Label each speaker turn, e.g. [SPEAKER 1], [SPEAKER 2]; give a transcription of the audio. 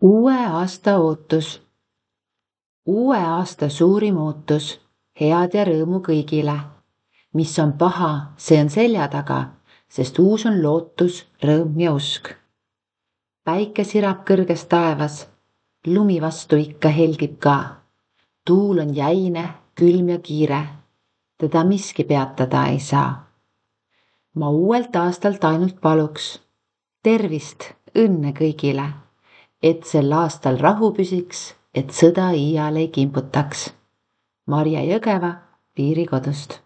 [SPEAKER 1] Uue aasta ootus. Uue aasta suurim ootus, head ja rõõmu kõigile. Mis on paha, see on selja taga, sest uus on lootus, rõõm ja usk. Päike sirab kõrges taevas, lumi vastu ikka helgib ka. Tuul on jäine, külm ja kiire, teda miski peatada ei saa. Ma uuelt aastalt ainult paluks tervist, õnne kõigile, et sel aastal rahu püsiks, et sõda iial ei kimbutaks. Marje Jõgeva Piirikodust.